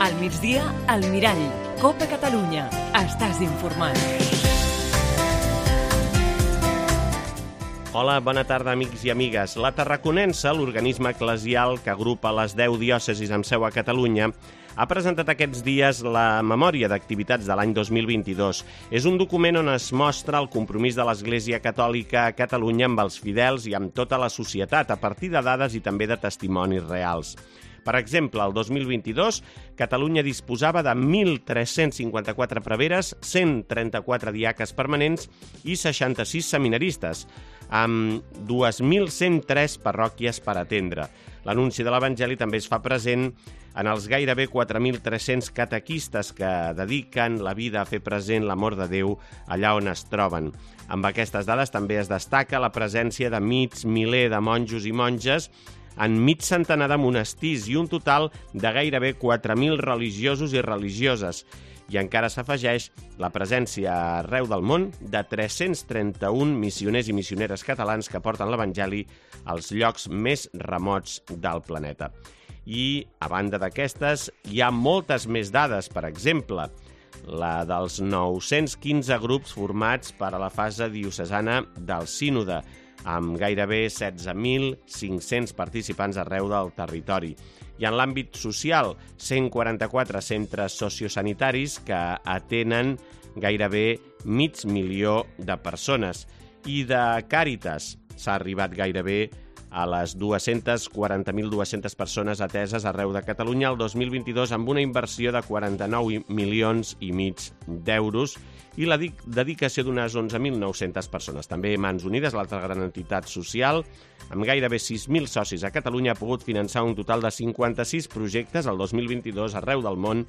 Al migdia, al Mirall. Copa Catalunya. Estàs informat. Hola, bona tarda, amics i amigues. La Tarraconense, l'organisme eclesial que agrupa les 10 diòcesis amb seu a Catalunya, ha presentat aquests dies la memòria d'activitats de l'any 2022. És un document on es mostra el compromís de l'Església Catòlica a Catalunya amb els fidels i amb tota la societat, a partir de dades i també de testimonis reals. Per exemple, el 2022, Catalunya disposava de 1.354 preveres, 134 diaques permanents i 66 seminaristes, amb 2.103 parròquies per atendre. L'anunci de l'Evangeli també es fa present en els gairebé 4.300 catequistes que dediquen la vida a fer present l'amor de Déu allà on es troben. Amb aquestes dades també es destaca la presència de mig miler de monjos i monges en mig centenar de monestirs i un total de gairebé 4.000 religiosos i religioses. I encara s'afegeix la presència arreu del món de 331 missioners i missioneres catalans que porten l'Evangeli als llocs més remots del planeta. I, a banda d'aquestes, hi ha moltes més dades, per exemple, la dels 915 grups formats per a la fase diocesana del Sínode, amb gairebé 16.500 participants arreu del territori. I en l'àmbit social, 144 centres sociosanitaris que atenen gairebé 500.000 de persones. I de Càritas s'ha arribat gairebé a les 240.200 persones ateses arreu de Catalunya el 2022 amb una inversió de 49,5 milions d'euros i la dedicació d'unes 11.900 persones. També Mans Unides, l'altra gran entitat social, amb gairebé 6.000 socis a Catalunya, ha pogut finançar un total de 56 projectes el 2022 arreu del món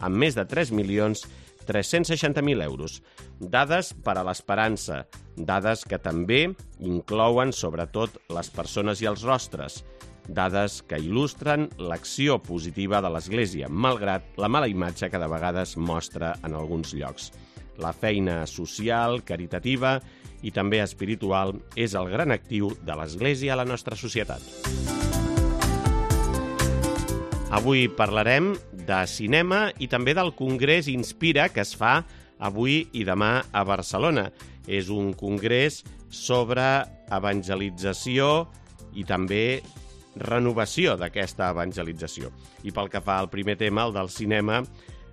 amb més de 3.360.000 euros. Dades per a l'esperança, dades que també inclouen sobretot les persones i els rostres, dades que il·lustren l'acció positiva de l'Església, malgrat la mala imatge que de vegades mostra en alguns llocs. La feina social, caritativa i també espiritual és el gran actiu de l'Església a la nostra societat. Avui parlarem de cinema i també del Congrés Inspira que es fa avui i demà a Barcelona. És un congrés sobre evangelització i també renovació d'aquesta evangelització. I pel que fa al primer tema, el del cinema,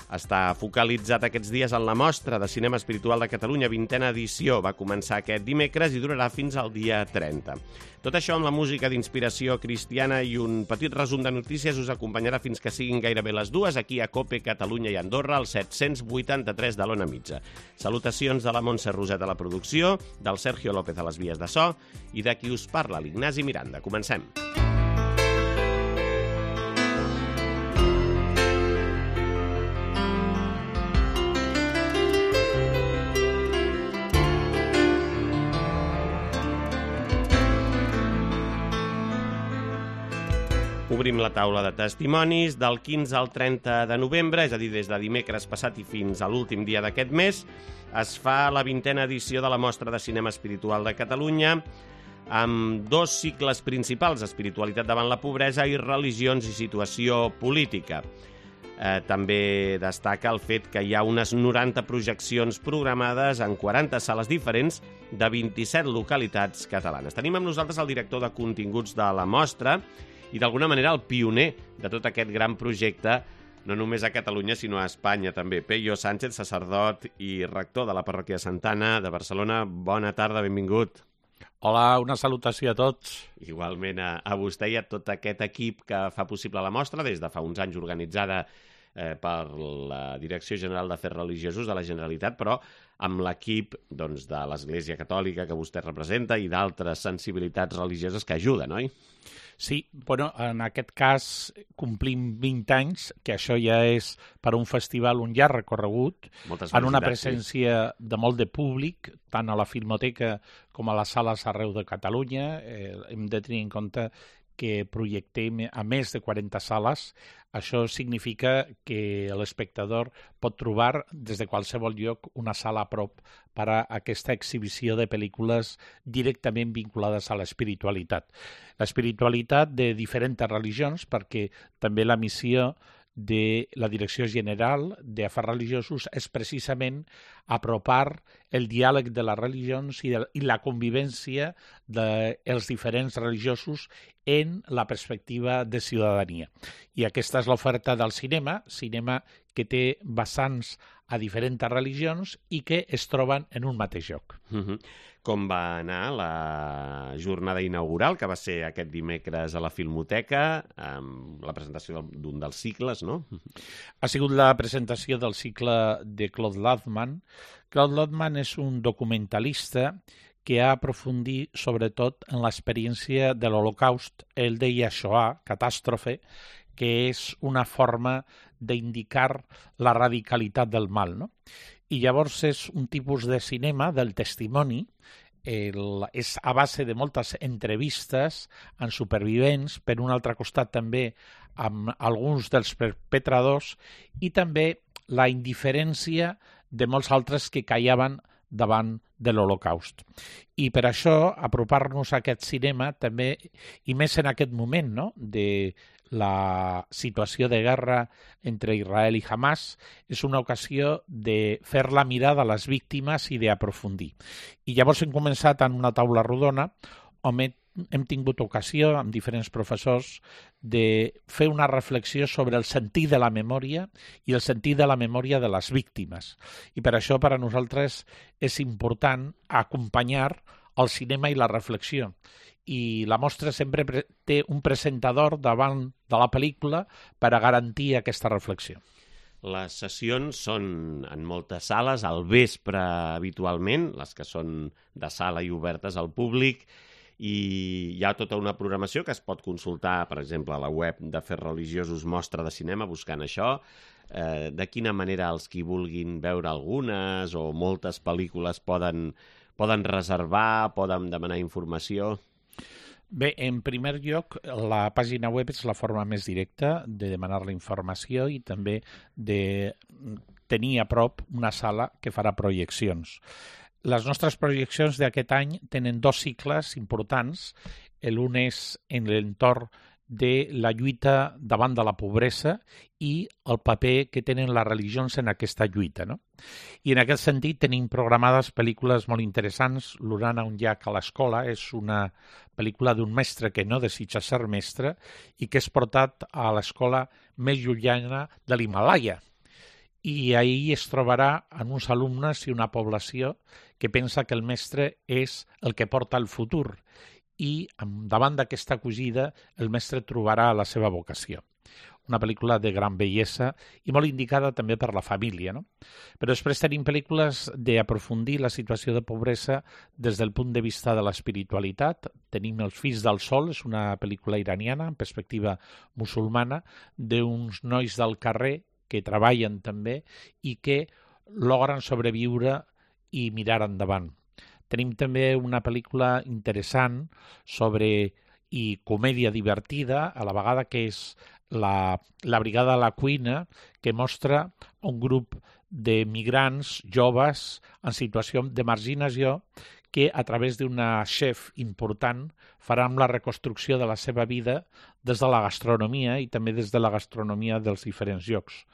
està focalitzat aquests dies en la Mostra de Cinema Espiritual de Catalunya, 20a edició. Va començar aquest dimecres i durarà fins al dia 30. Tot això amb la música d'inspiració cristiana i un petit resum de notícies us acompanyarà fins que siguin gairebé les 2 aquí a Cope, Catalunya i Andorra, al 783 de l'Ona Mitja. Salutacions de la Montse Roset a la producció, del Sergio López a les vies de so i de qui us parla, l'Ignasi Miranda. Comencem. Obrim la taula de testimonis del 15 al 30 de novembre, és a dir, des de dimecres passat i fins a l'últim dia d'aquest mes. Es fa la 20a edició de la Mostra de Cinema Espiritual de Catalunya amb 2 cicles principals, espiritualitat davant la pobresa i religions i situació política. També destaca el fet que hi ha unes 90 projeccions programades en 40 sales diferents de 27 localitats catalanes. Tenim amb nosaltres el director de continguts de la mostra i d'alguna manera el pioner de tot aquest gran projecte, no només a Catalunya, sinó a Espanya també. Peyo Sánchez, sacerdot i rector de la parròquia de Santana de Barcelona. Bona tarda, benvingut. Hola, una salutació a tots. Igualment a vostè i a tot aquest equip que fa possible la mostra, des de fa uns anys organitzada per la Direcció General d'Afers Religiosos de la Generalitat, però amb l'equip de l'Església Catòlica que vostè representa i d'altres sensibilitats religioses que ajuden, oi? Sí, bueno, en aquest cas complim 20 anys, que això ja és per un festival un llarg recorregut, en una presència de molt de públic, tant a la Filmoteca com a les sales arreu de Catalunya. Hem de tenir en compte que projectem a més de 40 sales. Això significa que l'espectador pot trobar des de qualsevol lloc una sala a prop per a aquesta exhibició de pel·lícules directament vinculades a l'espiritualitat. L'espiritualitat de diferents religions, perquè també la missió de la Direcció General d'Afers Religiosos és precisament apropar el diàleg de les religions i la convivència dels diferents religiosos en la perspectiva de ciutadania. I aquesta és l'oferta del cinema que té vessants a diferents religions i que es troben en un mateix lloc. Com va anar la jornada inaugural, que va ser aquest dimecres a la Filmoteca, amb la presentació d'un dels cicles, no? Ha sigut la presentació del cicle de Claude Lanzmann. Claude Lanzmann és un documentalista que ha aprofundit sobretot en l'experiència de l'Holocaust. Ell deia Shoah, catàstrofe, que és una forma d'indicar la radicalitat del mal, no? I llavors és un tipus de cinema del testimoni, és a base de moltes entrevistes amb supervivents, per un altre costat també amb alguns dels perpetradors i també la indiferència de molts altres que callaven davant de l'Holocaust. I per això apropar-nos a aquest cinema també, i més en aquest moment, no?, de la situació de guerra entre Israel i Hamas, és una ocasió de fer la mirada a les víctimes i d'aprofundir. I llavors hem començat en una taula rodona on hem tingut ocasió, amb diferents professors, de fer una reflexió sobre el sentit de la memòria i el sentit de la memòria de les víctimes. I per això per a nosaltres és important acompanyar el cinema i la reflexió. I la mostra sempre té un presentador davant de la pel·lícula per a garantir aquesta reflexió. Les sessions són en moltes sales, al vespre habitualment, les que són de sala i obertes al públic, i hi ha tota una programació que es pot consultar, per exemple, a la web d'Afers Religiosos Mostra de Cinema, buscant això. De quina manera els qui vulguin veure algunes o moltes pel·lícules poden reservar, poden demanar informació? Bé, en primer lloc, la pàgina web és la forma més directa de demanar la informació i també de tenir a prop una sala que farà projeccions. Les nostres projeccions d'aquest any tenen 2 cicles importants. L'un és en l'entorn de la lluita davant de la pobresa i el paper que tenen les religions en aquesta lluita, no? I en aquest sentit tenim programades pel·lícules molt interessants. L'Urana, un llac a l'escola, és una pel·lícula d'un mestre que no desitja ser mestre i que és portat a l'escola més llunyana de l'Himàlaia. I ahir es trobarà en uns alumnes i una població que pensa que el mestre és el que porta el futur i davant d'aquesta acogida el mestre trobarà la seva vocació. Una pel·lícula de gran bellesa i molt indicada també per la família, no? Però després tenim pel·lícules d'aprofundir la situació de pobresa des del punt de vista de l'espiritualitat. Tenim Els fills del sol, és una pel·lícula iraniana en perspectiva musulmana d'uns nois del carrer que treballen també i que logren sobreviure i mirar endavant. Tenim també una pel·lícula interessant i comèdia divertida, a la vegada, que és la Brigada a la cuina, que mostra un grup de migrants joves en situació de marginació que a través d'una chef important faran la reconstrucció de la seva vida des de la gastronomia i també des de la gastronomia dels diferents llocs.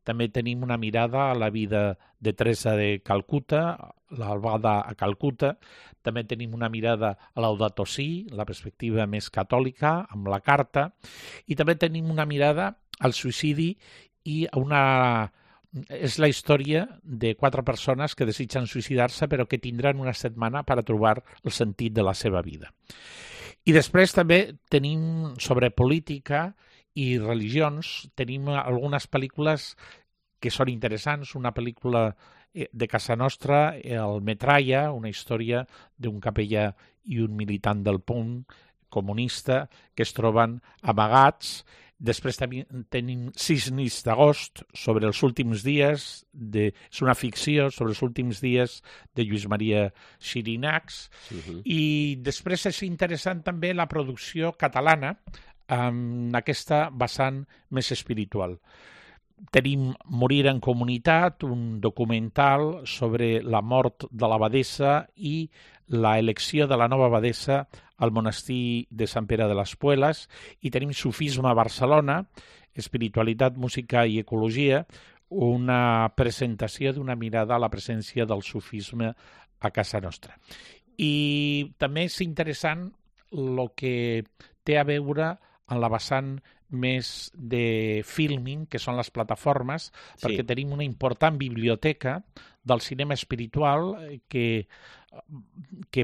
També tenim una mirada a la vida de Teresa de Calcuta, l'albada a Calcuta. També tenim una mirada a Laudato Si, la perspectiva més catòlica, amb la carta. I també tenim una mirada al suïcidi i és la història de 4 persones que desitgen suïcidar-se però que tindran una setmana per a trobar el sentit de la seva vida. I després també tenim sobre política i religions, tenim algunes pel·lícules que són interessants. Una pel·lícula de casa nostra, el Metralla, una història d'un capellà i un militant del punt comunista que es troben amagats. Després tenim 6 nits d'agost sobre els últims dies, és una ficció sobre els últims dies de Lluís Maria Xirinacs. I després és interessant també la producció catalana amb aquesta vessant més espiritual. Tenim Morir en comunitat, un documental sobre la mort de l'abadessa i la elecció de la nova abadessa al monestir de Sant Pere de les Puelas, i tenim Sufisme a Barcelona, espiritualitat, música i ecologia, una presentació d'una mirada a la presència del sufisme a casa nostra. I també és interessant el que té a veure en la vessant més de filming, que són les plataformes, perquè tenim una important biblioteca del cinema espiritual que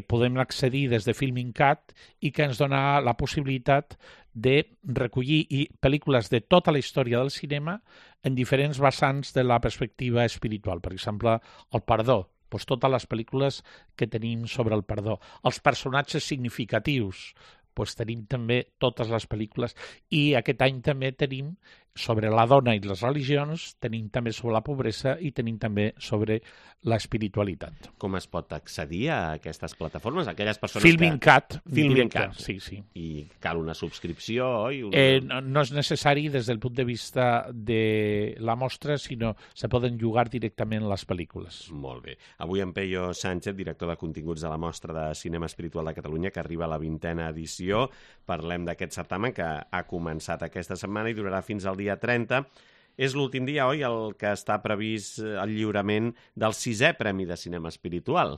podem accedir des de Filming.cat i que ens dona la possibilitat de recollir pel·lícules de tota la història del cinema en diferents vessants de la perspectiva espiritual. Per exemple, el perdó, doncs totes les pel·lícules que tenim sobre el perdó. Els personatges significatius, doncs tenim també totes les pel·lícules, i aquest any també tenim sobre la dona i les religions, tenim també sobre la pobresa i tenim també sobre l'espiritualitat. Com es pot accedir a aquestes plataformes? Aquelles persones Filming.cat. Filming.cat. Sí, sí. I cal una subscripció, oi? No és necessari des del punt de vista de la mostra, sinó se poden llogar directament les pel·lícules. Molt bé. Avui en Peyo Sánchez, director de continguts de la Mostra de Cinema Espiritual de Catalunya, que arriba a la 20a edició. Parlem d'aquest certamen que ha començat aquesta setmana i durarà fins al dia 30. És l'últim dia, oi, el que està previst el lliurament del 6è Premi de Cinema Espiritual.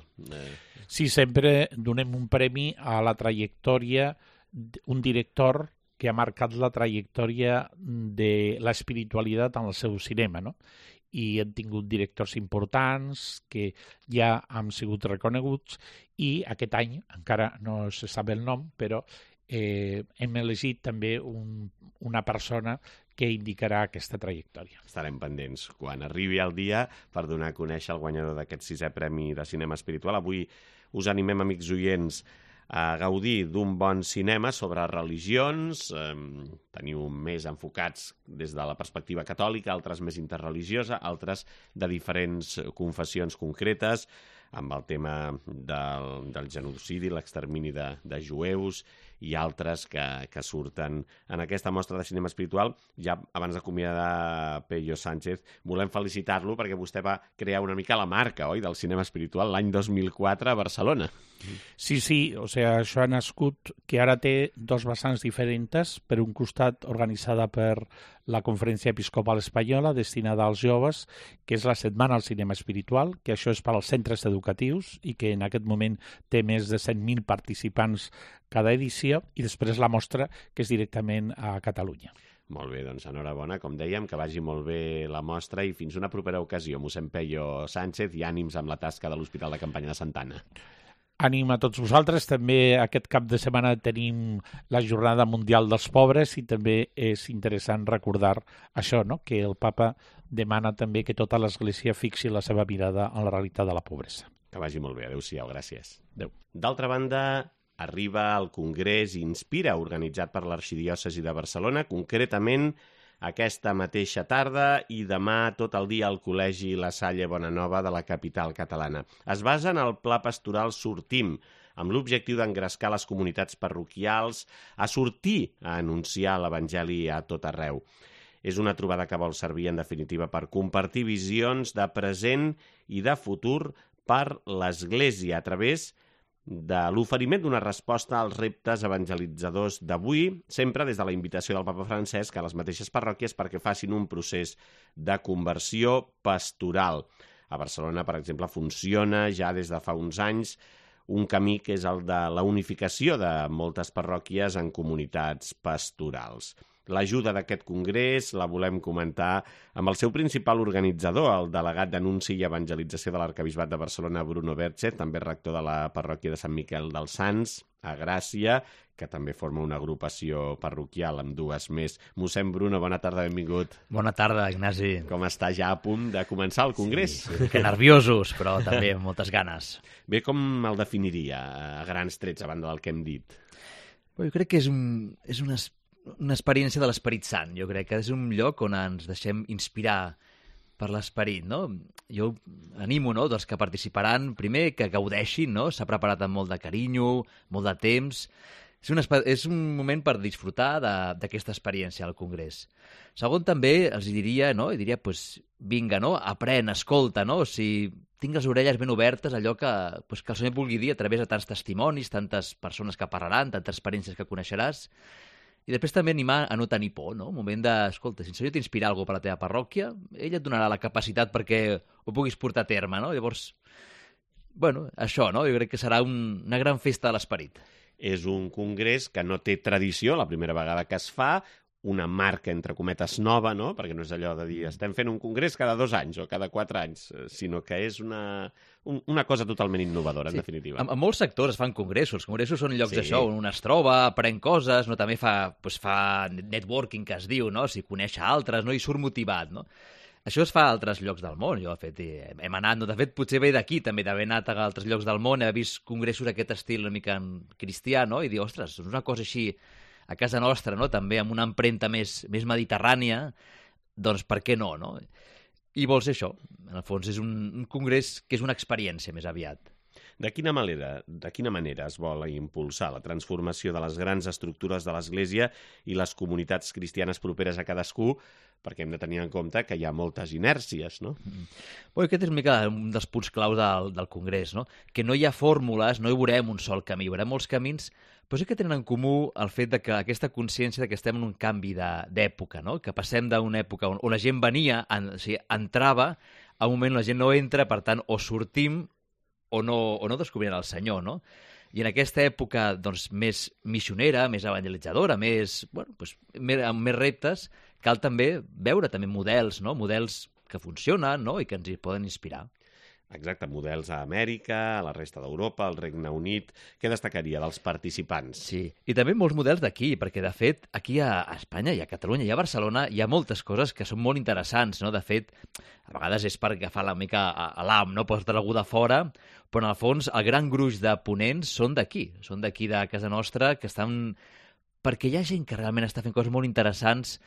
Sí, sempre donem un premi a la trajectòria, un director que ha marcat la trajectòria de l'espiritualitat en el seu cinema, no? I hem tingut directors importants que ja han sigut reconeguts, i aquest any, encara no se sap el nom, però hem elegit també una persona que indicarà aquesta trajectòria. Estarem pendents quan arribi el dia per donar a conèixer el guanyador d'aquest 6è Premi de Cinema Espiritual. Avui us animem, amics oients, a gaudir d'un bon cinema sobre religions. Teniu més enfocats des de la perspectiva catòlica, altres més interreligiosa, altres de diferents confessions concretes, amb el tema del genocidi, l'extermini de jueus, i altres que surten en aquesta mostra de cinema espiritual. Ja abans d'acomiadar Peyo Sánchez, volem felicitar-lo perquè vostè va crear una mica la marca, oi, del cinema espiritual l'any 2004 a Barcelona. Sí, o sigui, això ha nascut que ara té dos vessants diferents. Per un costat, organitzada per la Conferència Episcopal Espanyola, destinada als joves, que és la Setmana al Cinema Espiritual, que això és per als centres educatius i que en aquest moment té més de 100.000 participants cada edició, i després la mostra, que és directament a Catalunya. Molt bé, doncs enhorabona, com dèiem, que vagi molt bé la mostra, i fins una propera ocasió, mossèn Peyo Sánchez, i ànims amb la tasca de l'Hospital de Campanya de Santa Anna. Ànim a tots vosaltres. També aquest cap de setmana tenim la Jornada Mundial dels Pobres, i també és interessant recordar això, no? Que el papa demana també que tota l'Església fixi la seva mirada en la realitat de la pobresa. Que vagi molt bé. Adéu-siau. Gràcies. Adéu. D'altra banda, arriba el Congrés Inspira, organitzat per l'Arxidiòcesi de Barcelona, concretament aquesta mateixa tarda i demà tot el dia al Col·legi La Salle Bonanova de la capital catalana. Es basa en el Pla Pastoral Sortim, amb l'objectiu d'engrescar les comunitats parroquials a sortir a anunciar l'Evangeli a tot arreu. És una trobada que vol servir, en definitiva, per compartir visions de present i de futur per l'Església a través de l'oferiment d'una resposta als reptes evangelitzadors d'avui, sempre des de la invitació del papa Francesc a les mateixes parròquies perquè facin un procés de conversió pastoral. A Barcelona, per exemple, funciona ja des de fa uns anys un camí que és el de la unificació de moltes parròquies en comunitats pastorals. L'ajuda d'aquest congrés la volem comentar amb el seu principal organitzador, el delegat d'Anunci i Evangelització de l'Arquebisbat de Barcelona, Bruno Berchet, també rector de la parròquia de Sant Miquel dels Sants, a Gràcia, que també forma una agrupació parroquial amb dues més. Mossèn Bruno, bona tarda, benvingut. Bona tarda, Ignasi. Com està ja a punt de començar el congrés? Sí, que nerviosos, però també amb moltes ganes. Bé, com el definiria a grans trets, a banda del que hem dit? Jo crec que és una experiència de l'Esperit Sant. Jo crec que és un lloc on ens deixem inspirar per l'Esperit, no? Jo animo, no?, dels que participaran, primer, que gaudeixin, no? S'ha preparat amb molt de carinyo, molt de temps. És un moment per disfrutar d'aquesta experiència al Congrés. Segon, també els diria, no? I diria, pues, vinga, no? Aprèn, escolta, no? Si tinc les orelles ben obertes, allò que el Senyor et vulgui dir a través de tants testimonis, tantes persones que parlaran, tantes experiències que coneixeràs. I després també animar a no tenir por, no? Un moment de, escolta, si el Senyor t'inspira alguna per la teva parròquia, ell et donarà la capacitat perquè ho puguis portar a terme, no? Llavors, bueno, això, no? Jo crec que serà una gran festa de l'esperit. És un congrés que no té tradició, la primera vegada que es fa, una marca, entre cometes, nova, no? Perquè no és allò de dir estem fent un congrés cada 2 anys o cada 4 anys, sinó que és una cosa totalment innovadora, en definitiva. En molts sectors es fan congressos. Els congressos són llocs d'això, on un es troba, aprèn coses, no? També fa networking, que es diu, no? Si coneix altres, no? I surt motivat, no? Això es fa a altres llocs del món. Jo, de fet, hem anat, no? De fet, potser ve d'aquí, també, d'haver anat a altres llocs del món, haver vist congressos d'aquest estil una mica cristià, no? I dir, ostres, és una cosa així a casa nostra, no? També amb una empremta més mediterrània, doncs per què no, no? I vols això. En el fons és un congrés que és una experiència més aviat. De quina manera es vol impulsar la transformació de les grans estructures de l'Església i les comunitats cristianes properes a cadascú, perquè hem de tenir en compte que hi ha moltes inèrcies, no? Aquest és una mica un dels punts clau del Congrés, no? Que no hi ha fórmules, no hi veurem un sol camí, hi veurem molts camins, però sí que tenen en comú el fet de que aquesta consciència de que estem en un canvi d'època, no? Que passem d'una època on la gent venia, entrava, a un moment la gent no entra, per tant, o sortim o no descobrirem el Senyor, no? I en aquesta època doncs, més missionera, més evangelitzadora, amb més reptes, cal també veure també models, no? Models que funcionen, no? I que ens hi poden inspirar. Exacte, models a Amèrica, a la resta d'Europa, al Regne Unit. Què destacaria dels participants? Sí, i també molts models d'aquí, perquè, de fet, aquí a Espanya i a Catalunya i a Barcelona hi ha moltes coses que són molt interessants, no? De fet, a vegades és per agafar la mica a l'am, no? Portar algú de fora, però, en el fons, el gran gruix de ponents són d'aquí de casa nostra, que estan... perquè hi ha gent que realment està fent coses molt interessants.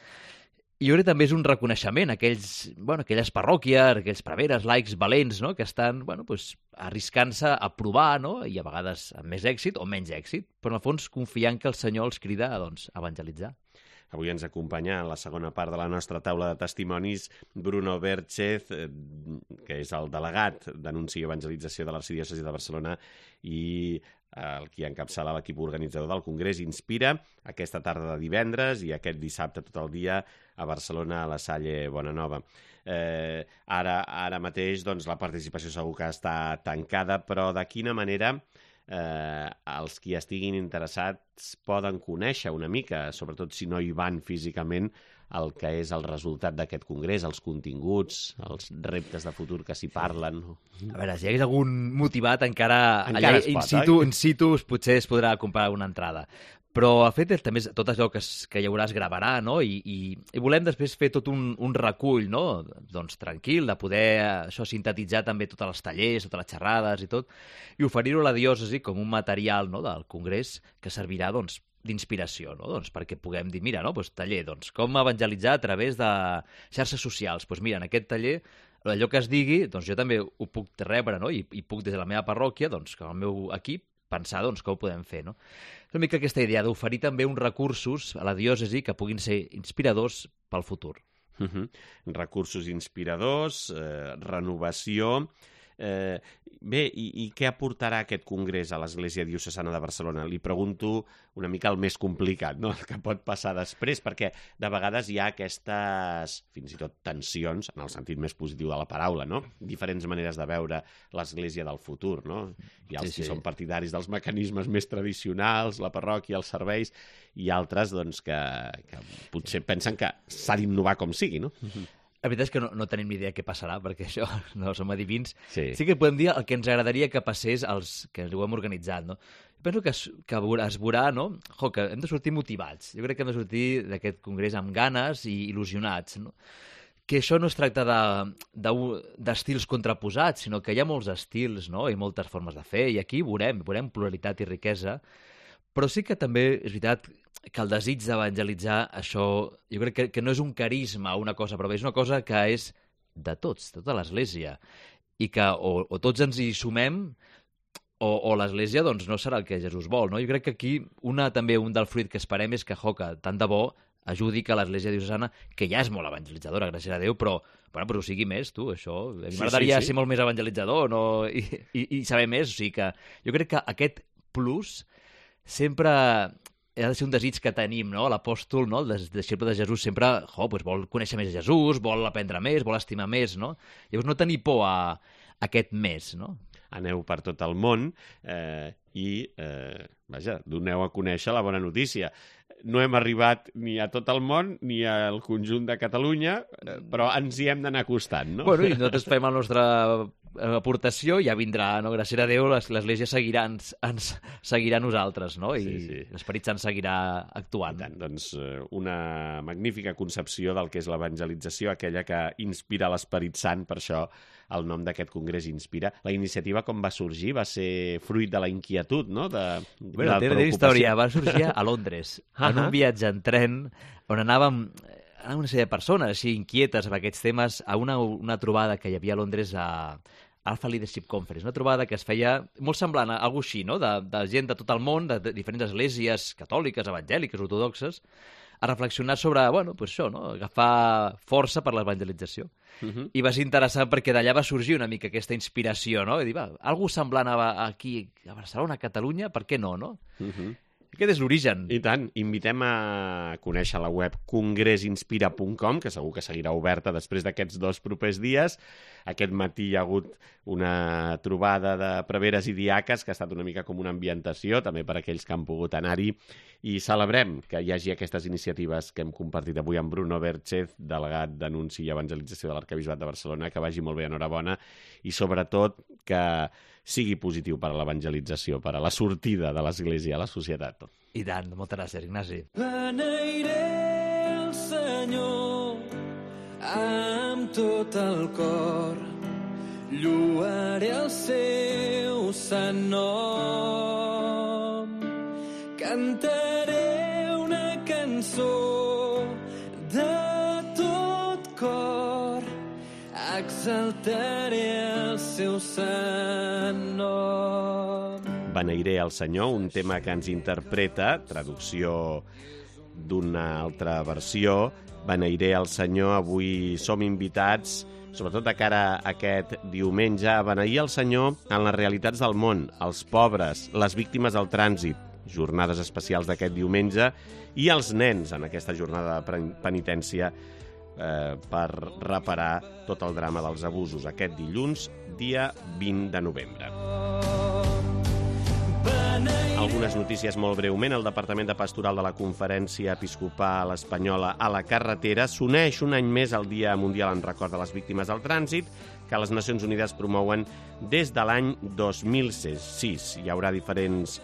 I jo crec que també és un reconeixement a aquelles parròquies, aquells preveres, laics valents, no? Que estan arriscant-se a provar, no? I a vegades amb més èxit o menys èxit, però en el fons confiant que el Senyor els crida a evangelitzar. Avui ens acompanya en la segona part de la nostra taula de testimonis Bruno Berchez, que és el delegat d'Anunci i Evangelització de l'Arxidiòcesi de Barcelona i el qui encapçala l'equip organitzador del Congrés Inspira, aquesta tarda de divendres i aquest dissabte tot el dia a Barcelona, a la Salle Bonanova. Ara mateix doncs, la participació segur que està tancada, però de quina manera els qui estiguin interessats poden conèixer una mica, sobretot si no hi van físicament, el que és el resultat d'aquest congrés, els continguts, els reptes de futur que s'hi parlen. A veure, si hi hagués algun motivat encara allà in situ potser es podrà comprar una entrada. Però el fet és també tot allò que hi haurà es gravarà, no? I volem després fer tot un recull, no? Doncs tranquil, de poder sintetitzar també tots els tallers, totes les xerrades i tot, i oferir-ho a la diòcesi com un material, no? Del congrés que servirà d'inspiració, no? Perquè puguem dir, mira, taller, com evangelitzar a través de xarxes socials. Mira, en aquest taller, allò que es digui, jo també ho puc rebre, no? I puc des de la meva parròquia, com el meu equip, pensar com ho podem fer, no? És una mica aquesta idea d'oferir també uns recursos a la diòcesi que puguin ser inspiradors pel futur. Recursos inspiradors, renovació... Bé, i què aportarà aquest congrés a l'Església Diocesana de Barcelona? Li pregunto una mica el més complicat, no? El que pot passar després, perquè de vegades hi ha aquestes, fins i tot tensions, en el sentit més positiu de la paraula, no? Diferents maneres de veure l'Església del futur, no? Hi ha els que són partidaris dels mecanismes més tradicionals, la parròquia, els serveis, i altres que potser pensen que s'ha d'innovar com sigui, no? La veritat és que no tenim ni idea què passarà, perquè això no som adivins. Sí que podem dir el que ens agradaria que passés als que ho hem organitzat, no? Penso que es veurà, no? Que hem de sortir motivats. Jo crec que hem de sortir d'aquest congrés amb ganes i il·lusionats, no? Que això no es tracta d'estils contraposats, sinó que hi ha molts estils, no? I moltes formes de fer, i aquí veurem pluralitat i riquesa, però sí que també és veritat que el desig d'evangelitzar, això, jo crec que no és un carisma o una cosa, però és una cosa que és de tots, tota l'Església, i que o tots ens hi sumem o l'Església doncs, no serà el que Jesús vol, no? Jo crec que aquí també un del fruit que esperem és que tant de bo ajudi que l'Església diocesana, que ja és molt evangelitzadora, gràcies a Déu, però ho sigui més, tu, això. A mi m'agradaria ser molt més evangelitzador i saber més. O sigui que jo crec que aquest plus sempre ha de ser un desig que tenim, no? L'apòstol, no? El deixeble de Jesús sempre vol conèixer més Jesús, vol aprendre més, vol estimar més, no? Llavors no tenir por a aquest més, no? Aneu per tot el món doneu a conèixer la bona notícia. No hem arribat ni a tot el món ni al conjunt de Catalunya, però ens hi hem d'anar acostant, no? Bueno, i nosaltres fem la nostra aportació, ja vindrà, no? Gràcies a Déu, l'Església ens seguirà a nosaltres, no? I l'Esperit Sant seguirà actuant. Tant, doncs una magnífica concepció del que és l'evangelització, aquella que inspira l'Esperit Sant, per això el nom d'aquest congrés Inspira. La iniciativa, com va sorgir, va ser fruit de la inquietud, no? Té història. Va sorgir a Londres, en un viatge en tren, on anàvem una sèrie de persones així inquietes amb aquests temes a una trobada que hi havia a Londres a Alpha Leadership Conference, una trobada que es feia molt semblant a alguna així, no? De gent de tot el món, de diferents esglésies catòliques, evangèliques, ortodoxes, a reflexionar sobre, això, no? Agafar força per l'evangelització. I va ser interessant perquè d'allà va sorgir una mica aquesta inspiració, no? I dir, algú semblant aquí a Barcelona, a Catalunya, per què no, no? Aquest és l'origen. I tant. Invitem a conèixer la web congressinspira.com, que segur que seguirà oberta després d'aquests 2 propers dies. Aquest matí hi ha hagut una trobada de preveres i diaques que ha estat una mica com una ambientació, també per a aquells que han pogut anar-hi, i celebrem que hi hagi aquestes iniciatives que hem compartit avui amb Bruno Berchez, delegat d'Anunci i Evangelització de l'Arquebisbat de Barcelona. Que vagi molt bé, enhorabona, i sobretot que sigui positiu per a l'evangelització, per a la sortida de l'Església a la societat. I tant, moltes gràcies, Ignasi. Beneiré el Senyor amb tot el cor, lloaré el seu sant nom, cantaré una cançó de tot cor, exaltaré el seu sant nom. Beneiré el Senyor, un tema que ens interpreta, traducció d'una altra versió. Beneiré el Senyor, avui som invitats, sobretot de cara a aquest diumenge, a beneir el Senyor en les realitats del món, els pobres, les víctimes del trànsit, jornades especials d'aquest diumenge, i els nens en aquesta jornada de penitència per reparar tot el drama dels abusos, aquest dilluns, dia 20 de novembre. Algunes notícies molt breument. El Departament de Pastoral de la Conferència Episcopal Espanyola a la Carretera s'uneix un any més al Dia Mundial en record de les víctimes del trànsit, que les Nacions Unides promouen des de l'any 2006. Hi haurà diferents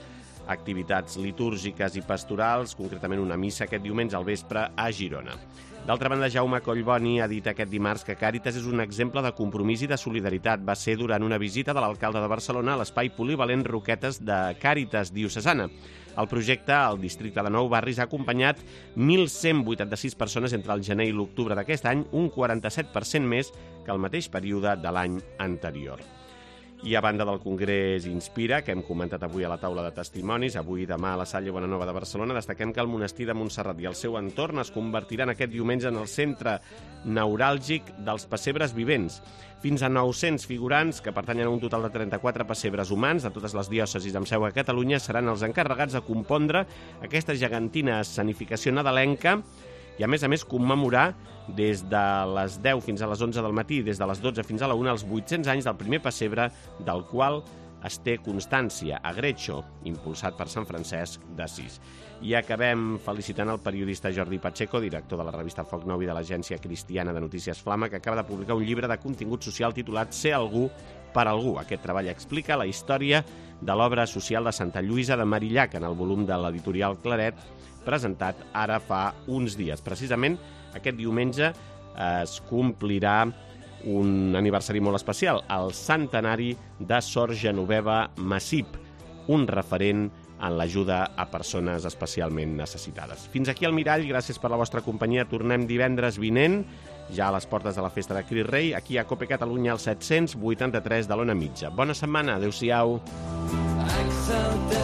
activitats litúrgiques i pastorals, concretament una missa aquest diumenge al vespre a Girona. D'altra banda, Jaume Collboni ha dit aquest dimarts que Càritas és un exemple de compromís i de solidaritat. Va ser durant una visita de l'alcalde de Barcelona a l'espai polivalent Roquetes de Càritas diocesana. El projecte al districte de Nou Barris ha acompanyat 1.186 persones entre el gener i l'octubre d'aquest any, un 47% més que el mateix període de l'any anterior. I a banda del Congrés Inspira, que hem comentat avui a la taula de testimonis, avui i demà a la Salle Bonanova de Barcelona, destaquem que el monestir de Montserrat i el seu entorn es convertiran aquest diumenge en el centre neuràlgic dels pessebres vivents. Fins a 900 figurants, que pertanyen a un total de 34 pessebres humans de totes les diòcesis amb seu a Catalunya, seran els encarregats de compondre aquesta gegantina escenificació nadalenca i, a més, commemorar des de les 10 fins a les 11 del matí i des de les 12 fins a la 1 els 800 anys del primer pessebre, del qual es té constància a Greccio, impulsat per Sant Francesc d'Assís. I acabem felicitant el periodista Jordi Pacheco, director de la revista Foc Nou i de l'agència cristiana de notícies Flama, que acaba de publicar un llibre de contingut social titulat Ser algú per algú. Aquest treball explica la història de l'obra social de Santa Lluïsa de Marillac en el volum de l'editorial Claret, presentat ara fa uns dies. Precisament aquest diumenge es complirà un aniversari molt especial, el centenari de Sor Genoveva Massip, un referent en l'ajuda a persones especialment necessitades. Fins aquí el Mirall, gràcies per la vostra companyia. Tornem divendres vinent, ja a les portes de la festa de Crist Rei, aquí a Cope Catalunya, al 783 de l'Ona Mitja. Bona setmana, adeu-siau. és el teu